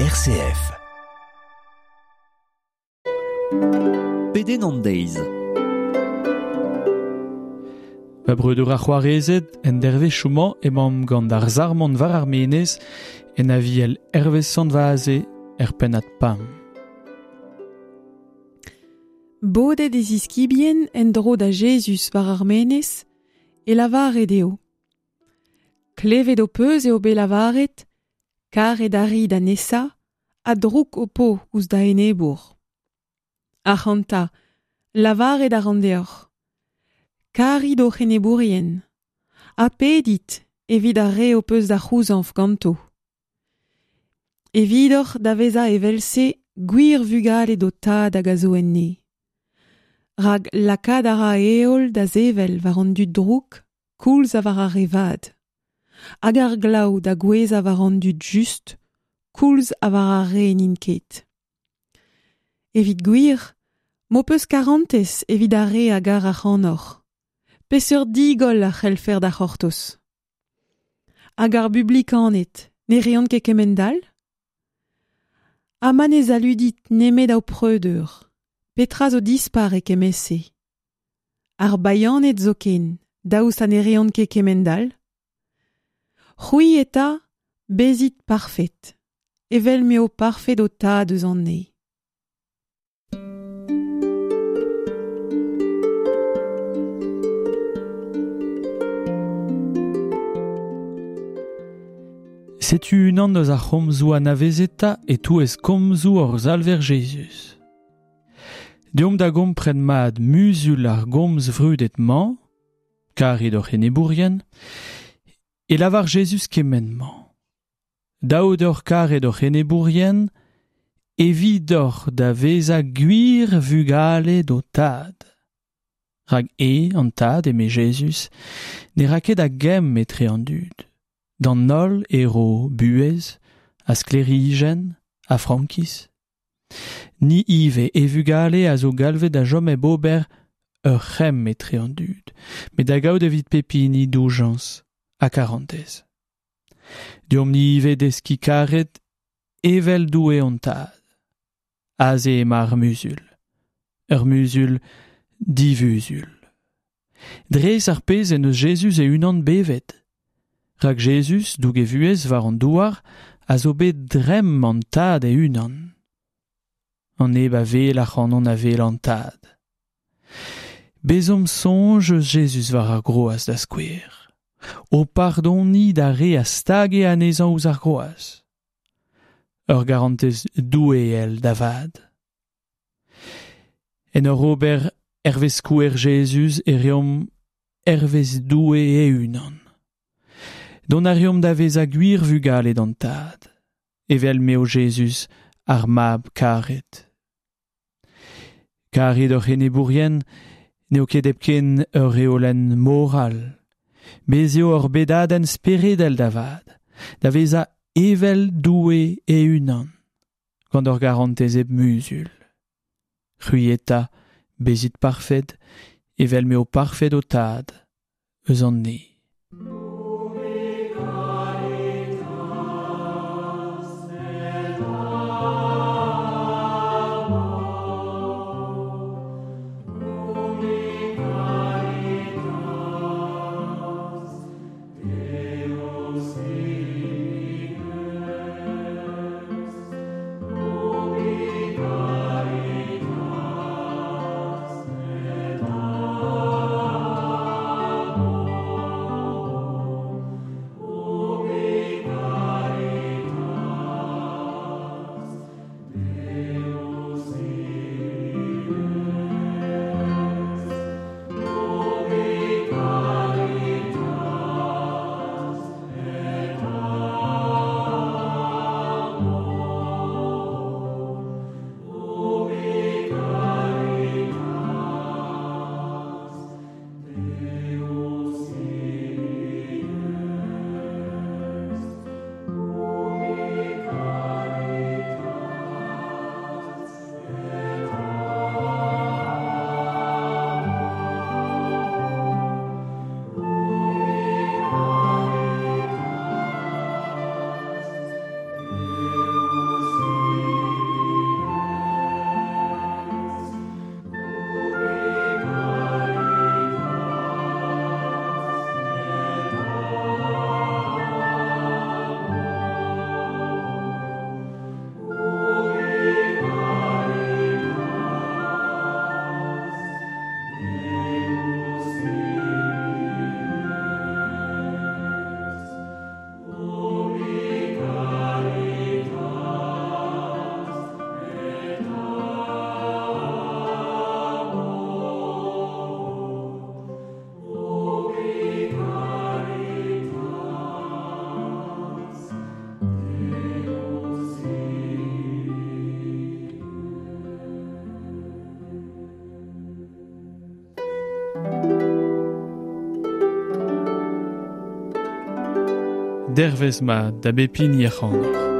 RCF. Pedenn an deiz. Va breudeur ar c'hoarezed, en dervezhioù-mañ emaomp gant ar sarmon war ar menez en aviel Hervez Sant-Vaze er pennad Pam. Bodet e ziskibien en-dro da Jezuz war ar menez e lavare dezho. Klevet ho peus eo bet lavaret, karet a ri da nesañ ha drouk ho po ouzh da enebour. Ac'hanta, lavaret a ran deoc'h. Karit hoc'h enebourien ha pedit evit ar re ho peus da c'houzañv ganto. Evidoc'h da vezañ evel-se gwir vugale d'ho tad hag a zo enne. Rak lakaat a ra heol da sevel war an dud drouk koulz ha war ar re vat. Hag ar glav da gouezhañ war an dud just koulz ha war ar re n'int ket. Evit gwir, m'ho peus karantez evit ar re a gar ac'hanoc'h. Peseurt digoll a c'hellfer da c'hortoz? Hag ar bublikaned ne reont ket kemend-all? Ha ma ne saludit nemet ho preudeur, petra zo dispar e kement-se? Ar bayaned zoken, daoust ha ne reont ket kemend-all? C'hwi eta, bezit parfet, evel m'eo parfet ho tad eus an neñv. Setu unan eus ar c'homzoù anavezetañ e-touez komzoù hor Salver Jezuz. Deomp da gompren mat muzul ar gomz vrudet-mañ, karit hoc'h enebourien, e lavar Jezuz kement-mañ. Dav deoc'h karet hoc'h enebourien, evidoc'h da vezañ gwir vugale d'ho tad. Rak e, an tad, eme Jezuz, ne ra ket a gemm etre an dud. D'an holl e ro buhez, ha sklêrijenn, ha frankiz. Ni ivez, e vugale a zo galvet da chom hep ober ur c'hemm etre an dud, met da gaout evit pep hini doujañs ha karantez. Deomp-ni ivez deskiñ karet evel Doue hon tad. Aze emañ ar muzul. Ur muzul divuzul. Dres ar pezh en deus Jezuz e-unan bevet. Rak Jezuz, doug e vuhez war an douar, a zo bet dremm an tad e-unan. An neb a wel ac'hanon a wel an tad. Bezomp soñj eus Jezuz war ar groaz da skouer. O pardoniñ d'ar re a stage anezhañ ouzh ar groaz. Ur garantez doueel da vat. En ur ober hervez skouer Jezuz e reomp hervez Doue e-unan. Dont a reomp da vezañ gwir vugale d'an Tad, evel m'eo Jezuz ar Mab karet. Karit hoc'h enebourien n'eo ket hepken ur reolenn moral. Bez' eo ur bedadenn speredel da vat, da vezañ evel Doue e-unan, gant ur garantez hep muzul. C'hwi eta, bezit parfet, evel m'eo parfet ho tad eus an neñv. Dervez mat da bep hini ac'hanoc'h.